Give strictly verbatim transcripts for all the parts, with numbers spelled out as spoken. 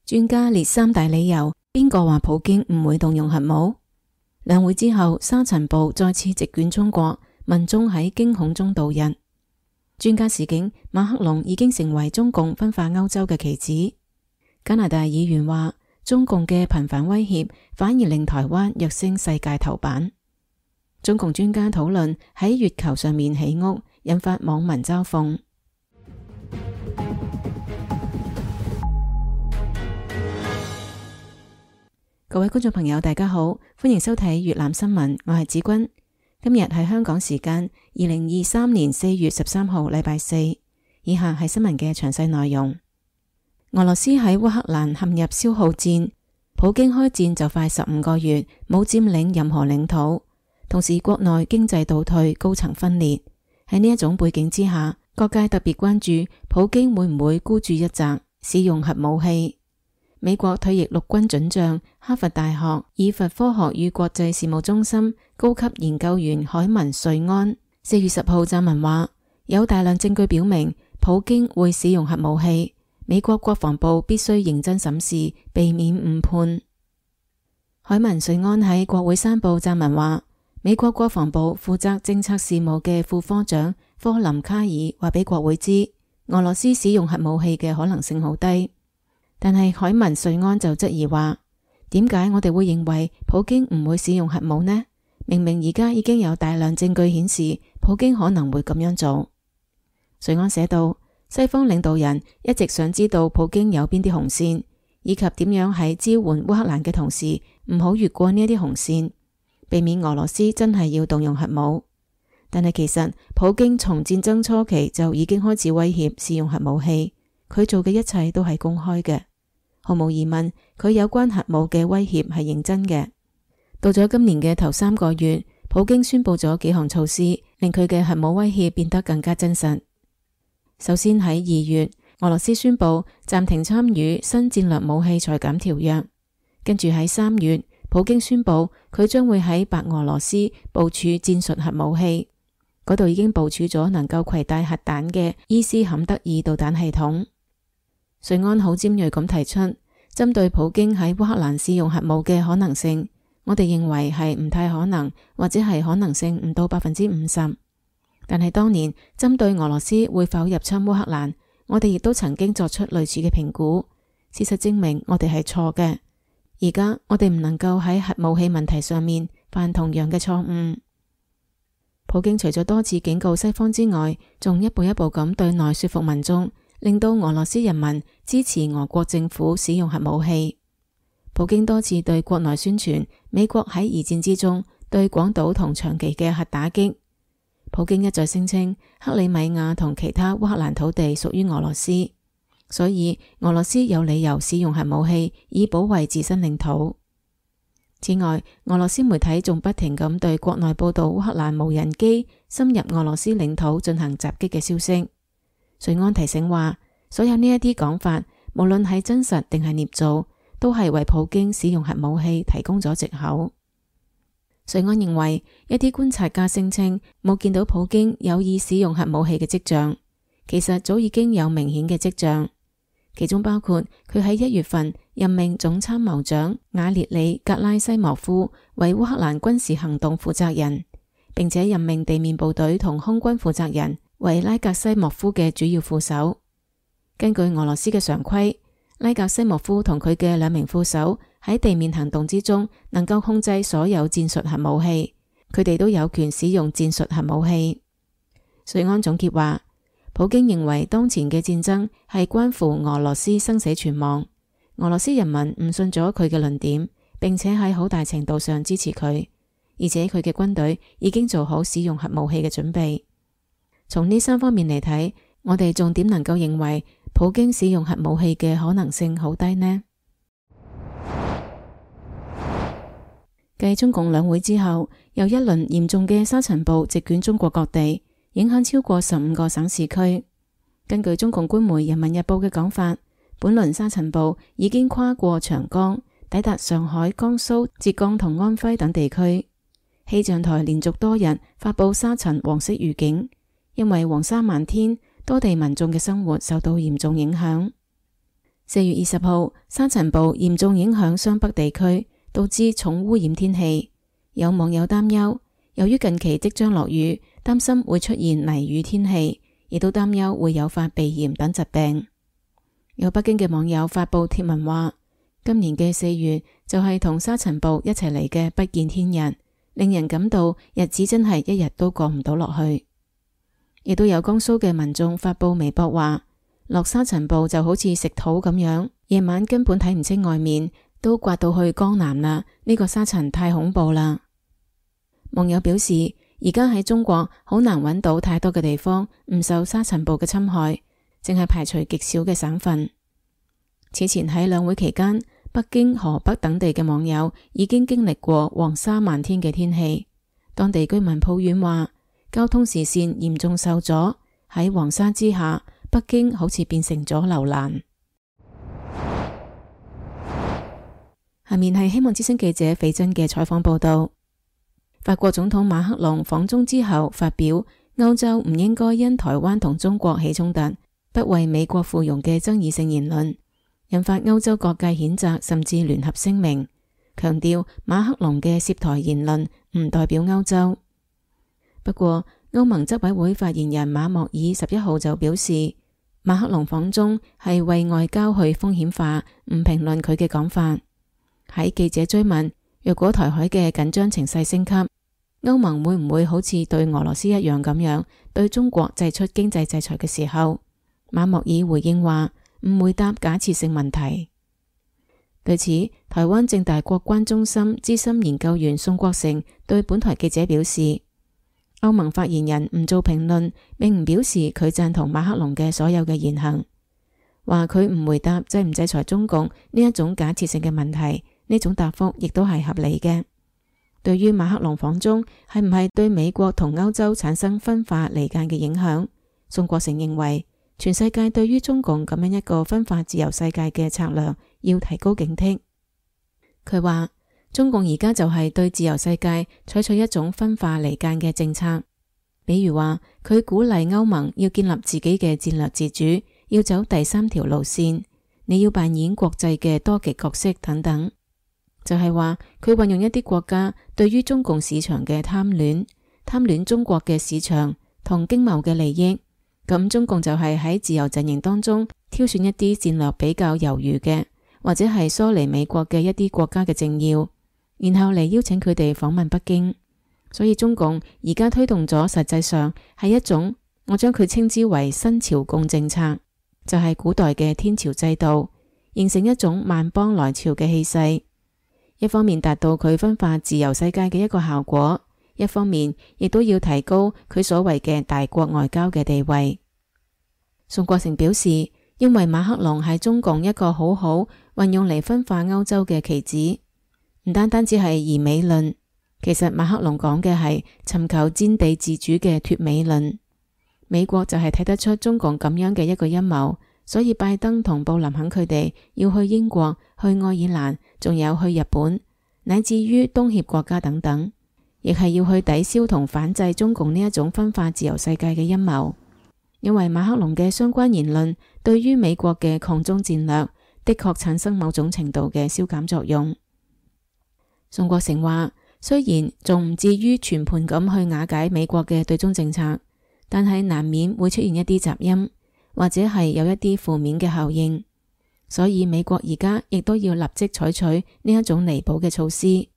專家列三大理由，邊個話普京唔會動用核武？兩會之後，沙塵暴再次席捲中國，民眾喺驚恐中度日。專家示警，馬克龍已經成為中共分化歐洲嘅棋子。加拿大議員話，中共嘅頻繁威脅反而令台灣躍升世界頭版。中共專家討論喺月球上面起屋，引發網民嘲諷。各位觀眾朋友大家好，歡迎收睇粵覽新聞，我係子君。今日係香港時間二零二三年四月十三號禮拜四，以下係新聞嘅詳細內容。俄羅斯喺烏克蘭陷入消耗戰，普京開戰就快十五個月，冇佔領任何領土，同時國內經濟倒退，高層分裂。喺呢一種背景之下，各界特別關注普京會唔會孤注一擲，使用核武器。美國退役陸軍准將、哈佛大學以弗科學與國際事務中心高級研究員海文瑞安四月十號撰文話，有大量證據表明普京會使用核武器，美國國防部必須認真審視，避免誤判。海文瑞安喺國會山報撰文話，美國國防部負責政策事務嘅副科長科林卡爾話俾國會知，俄羅斯使用核武器嘅可能性好低。但係海文瑞安就質疑話，點解我哋會認為普京唔會使用核武呢？明明而家已經有大量證據顯示普京可能會咁樣做。瑞安寫道，西方領導人一直想知道普京有邊啲紅線，以及點樣喺支援烏克蘭嘅同時唔好越過呢一啲紅線，避免俄羅斯真係要動用核武。但係其實普京從戰爭初期就已經開始威脅使用核武器，佢做嘅一切都係公開嘅。毫無疑問，佢有關核武嘅威脅係認真嘅。到咗今年嘅頭三個月，普京宣布咗幾項措施，令佢嘅核武威脅變得更加真實。首先喺二月，俄羅斯宣布暫停參與新戰略武器裁減條約。跟住喺三月，普京宣布佢將會喺白俄羅斯部署戰術核武器，嗰度已經部署咗能夠攜帶核彈嘅伊斯坎德爾導彈系統。瑞安好尖銳咁提出，針對普京喺烏克蘭使用核武嘅可能性，我哋認為係唔太可能，或者係可能性唔到百分之五十。但係當年針對俄羅斯會否入侵烏克蘭，我哋亦都曾經作出類似嘅評估。事實證明我哋係錯嘅。而家我哋唔能夠喺核武器問題上面犯同樣嘅錯誤。普京除咗多次警告西方之外，仲一步一步咁對內說服民眾，令到俄羅斯人民支持俄國政府使用核武器。普京多次對國內宣傳美國喺二戰之中對廣島同長崎嘅核打擊。普京一再聲稱克里米亞同其他烏克蘭土地屬於俄羅斯，所以俄羅斯有理由使用核武器以保衛自身領土。此外，俄羅斯媒體仲不停咁對國內報道烏克蘭無人機深入俄羅斯領土進行襲擊嘅消息。瑞安提醒話，所有呢一啲講法，無論係真實定係捏造，都係為普京使用核武器提供咗藉口。瑞安認為，一啲觀察家聲稱冇見到普京有意使用核武器嘅跡象，其實早已經有明顯嘅跡象，其中包括佢喺一月份任命總參謀長瓦列里格拉西莫夫為烏克蘭軍事行動負責人，並且任命地面部隊同空軍負責人為拉格西莫夫嘅主要副手。根據俄羅斯嘅常規，拉格西莫夫同佢嘅兩名副手喺地面行動之中能夠控制所有戰術核武器，佢哋都有權使用戰術核武器。瑞安總結話，普京認為當前嘅戰爭係關乎俄羅斯生死存亡，俄羅斯人民誤信咗佢嘅論點，並且喺好大程度上支持佢，而且佢嘅軍隊已經做好使用核武器嘅準備。從呢三方面嚟睇，我哋仲點能夠認為普京使用核武器嘅可能性好低呢？繼中共兩會之後，又一輪嚴重嘅沙塵暴席捲中國各地，影響超過十五個省市區。根據中共官媒《人民日報》嘅講法，本輪沙塵暴已經跨過長江，抵達上海、江蘇、浙江同安徽等地區。氣象台連續多日發佈沙塵黃色預警。因為黃沙漫天，多地民眾嘅生活受到嚴重影響。四月二十號，沙塵暴嚴重影響雙北地區，導致重污染天氣。有網友擔憂，由於近期即將落雨，擔心會出現泥雨天氣，亦都擔憂會誘發鼻炎等疾病。有北京嘅網友發布貼文話，今年嘅四月就係同沙塵暴一齊嚟嘅不見天日，令人感到日子真係一日都過唔到落去。亦都有江蘇嘅民眾發布微博話，落沙塵暴就好似食土咁樣，夜晚根本睇唔清外面，都刮到去江南啦，呢個沙塵太恐怖啦。網友表示，而家喺中國好難揾到太多嘅地方唔受沙塵暴嘅侵害，淨係排除極少嘅省份。此前喺兩會期間，北京、河北等地嘅網友已經經歷過黃沙漫天嘅天氣，當地居民抱怨話，交通視線嚴重受阻，喺黃沙之下，北京好似變成咗樓蘭。下面係希望之聲記者斐真嘅採訪報道。法國總統馬克龍訪中之後發表歐洲唔應該因台灣同中國起衝突，不為美國附庸嘅爭議性言論，引發歐洲各界譴責，甚至聯合聲明，強調馬克龍嘅涉台言論唔代表歐洲。不過，歐盟執委會發言人馬莫爾十一號就表示，馬克龍訪中係為外交去風險化，唔評論佢嘅講法。喺記者追問，若果台海嘅緊張情勢升級，歐盟會唔會好似對俄羅斯一樣咁樣對中國祭出經濟制裁嘅時候，馬莫爾回應話唔回答假設性問題。對此，台灣政大國關中心資深研究員宋國成對本台記者表示，歐盟發言人唔做評論，並唔表示佢贊同馬克龍嘅所有嘅言行，話佢唔回答制唔制裁中共呢一種假設性嘅問題，呢種答覆亦都係合理嘅。對於馬克龍訪中係唔係對美國同歐洲產生分化離間嘅影響，宋國成認為全世界對於中共咁樣一個分化自由世界嘅策略要提高警惕。佢話中共而家就係對自由世界採取一種分化離間嘅政策，比如話佢鼓勵歐盟要建立自己嘅戰略自主，要走第三條路線，你要扮演國際嘅多極角色等等。就係話佢運用一啲國家對於中共市場嘅貪戀，貪戀中國嘅市場同經貿嘅利益，咁中共就係喺自由陣營當中挑選一啲戰略比較猶豫嘅，或者係疏離美國嘅一啲國家嘅政要，然後嚟邀請佢哋訪問北京。所以中共而家推動咗，實際上係一種，我將佢稱之為新朝貢政策，就係古代嘅天朝制度，形成一種萬邦來朝嘅氣勢。一方面達到佢分化自由世界嘅一個效果，一方面亦都要提高佢所謂嘅大國外交嘅地位。宋國成表示，因為馬克龍係中共一個好好運用嚟分化歐洲嘅棋子，唔單單只係疑美論，其實馬克龍講嘅係尋求戰地自主嘅脫美論。美國就係睇得出中共咁樣嘅一個陰謀，所以拜登同布林肯佢哋要去英國、去愛爾蘭，仲有去日本，乃至於東協國家等等，亦係要去抵消同反制中共呢一種分化自由世界嘅陰謀。因為馬克龍嘅相關言論對於美國嘅抗中戰略的確產生某種程度嘅消減作用。宋國成話，雖然仲唔至於全盤咁去瓦解美國嘅對中政策，但係難免會出現一啲雜音，或者係有一啲負面嘅效應，所以美國而家亦都要立即採取呢一種彌補嘅措施。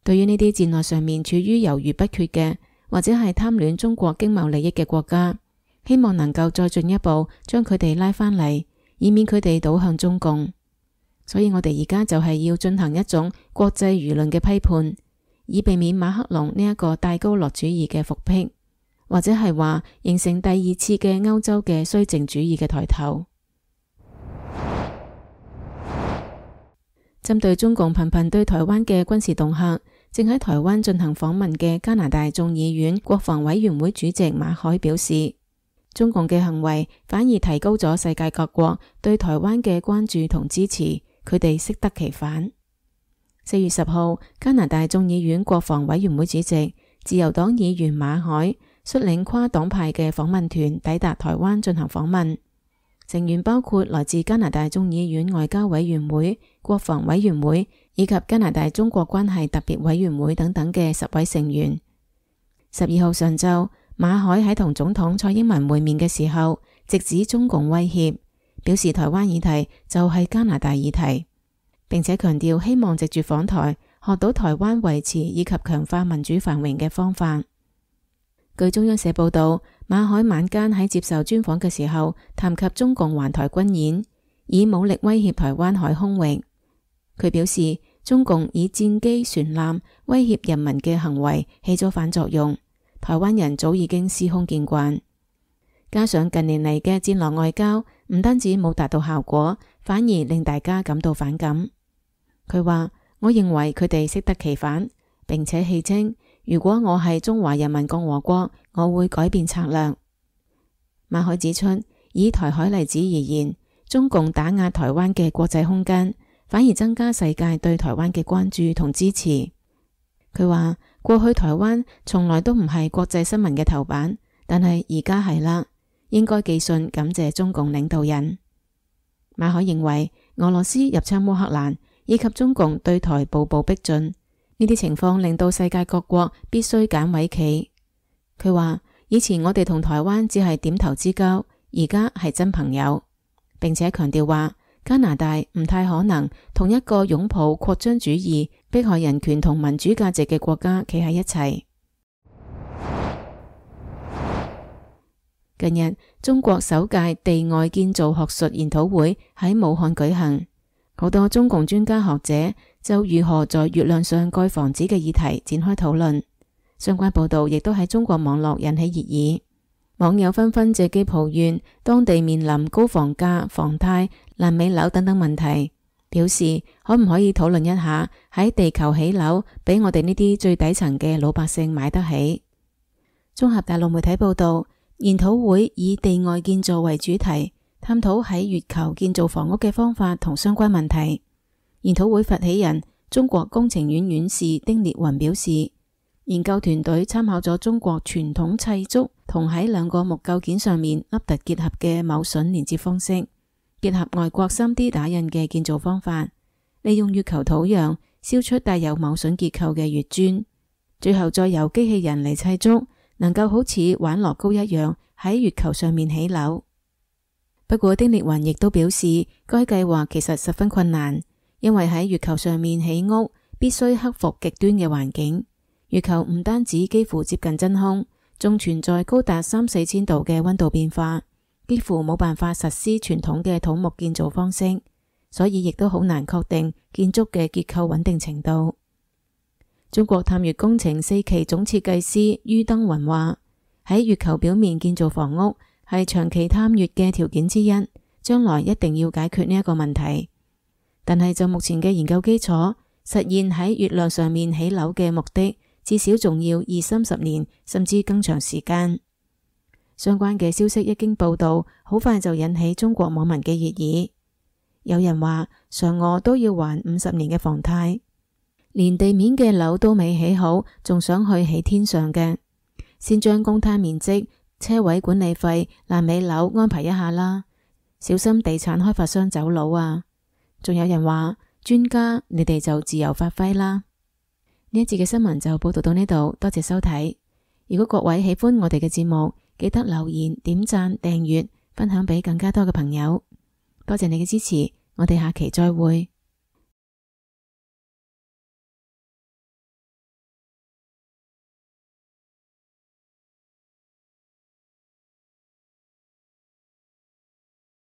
對於呢啲戰略上面處於猶豫不決嘅，或者係貪戀中國經貿利益嘅國家，希望能夠再進一步將佢哋拉返嚟，以免佢哋倒向中共。所以我哋而家就係要進行一種國際輿論嘅批判，以避免馬克龍呢一個戴高樂主義嘅復辟，或者係話形成第二次嘅歐洲嘅綏靖主義嘅抬頭。針對中共頻頻對台灣嘅軍事恫嚇，正喺台灣進行訪問嘅加拿大眾議院國防委員會主席馬凱表示，中共嘅行為反而提高咗世界各國對台灣嘅關注同支持，佢哋適得其反。四月十號，加拿大眾議院國防委員會主席、自由黨議員馬凱率領跨黨派嘅訪問團抵達台灣進行訪問。成員包括來自加拿大眾議院外交委員會、國防委員會以及加拿大中國關係特別委員會等等嘅十位成員。十二號上晝，馬凱喺同總統蔡英文會面嘅時候，直指中共威脅，表示台灣議題就係加拿大議題，並且強調希望藉住訪台學到台灣維持以及強化民主繁榮嘅方法。據中央社報道，馬凱晚間喺接受專訪嘅時候，談及中共環台軍演，以武力威脅台灣海空域。佢表示，中共以戰機、船艦威脅人民嘅行為起咗反作用，台灣人早已經司空見慣。加上近年嚟嘅戰狼外交，唔單止冇達到效果，反而令大家感到反感。佢話：我認為佢哋適得其反，並且戲稱，如果我係中華人民共和國，我會改變策略。馬凱指出，以台海例子而言，中共打壓台灣嘅國際空間，反而增加世界對台灣嘅關注同支持。佢話，過去台灣從來都唔係國際新聞嘅頭版，但係而家係啦，應該寄信感謝中共領導人。馬凱認為，俄羅斯入侵烏克蘭以及中共對台步步逼進，呢啲情況令到世界各國必須揀位企。佢話，以前我哋同台灣只係點頭之交，而家係真朋友，並且強調話，加拿大唔太可能同一個擁抱擴張主義、迫害人權同民主價值嘅國家企喺一齊。近日，中國首屆地外建造學術研討會喺武漢舉行，好多中共專家學者就如何在月亮上蓋房子嘅議題展開討論。相關報道亦都喺中國網絡引起熱議，網友紛紛借機抱怨當地面臨高房價、房貸、爛尾樓等等問題，表示可唔可以討論一下喺地球起樓，俾我哋呢啲最底層嘅老百姓買得起。綜合大陸媒體報道，研討會以地外建造為主題，探討喺月球建造房屋嘅方法同相關問題。研討會發起人中國工程院院士丁烈雲表示，研究團隊參考咗中國傳統砌築同喺兩個木構件上面凹凸結合嘅鉚榫連接方式，結合外國 三 D 打印嘅建造方法，利用月球土壤燒出帶有鉚榫結構嘅月磚，最後再由機器人嚟砌築，能夠好似玩樂高一樣喺月球上面起樓。不過丁烈雲亦都表示，該計劃其實十分困難，因為喺月球上面起屋必須克服極端嘅環境。月球唔單止幾乎接近真空，仲存在高達三四千度嘅溫度變化，幾乎冇辦法實施傳統嘅土木建造方式，所以亦都好難確定建築嘅結構穩定程度。中國探月工程四期總設計師于登雲話：喺月球表面建造房屋係長期探月嘅條件之一，將來一定要解決呢一個問題。但係就目前嘅研究基礎，實現喺月亮上面起樓嘅目的，至少仲要二三十年，甚至更長時間。相關嘅消息一經報道，好快就引起中國網民嘅熱議。有人話，嫦娥都要還五十年嘅房貸，連地面嘅樓都未起好，仲想去起天上嘅，先將公攤面積、車位管理費、爛尾樓安排一下啦，小心地產開發商走佬啊！仲有人話，專家你哋就自由發揮啦。呢一節嘅新聞就報道到呢度，多謝收睇。如果各位喜歡我哋嘅節目，記得留言、點讚、訂閱、分享俾更加多嘅朋友。多謝你嘅支持，我哋下期再會。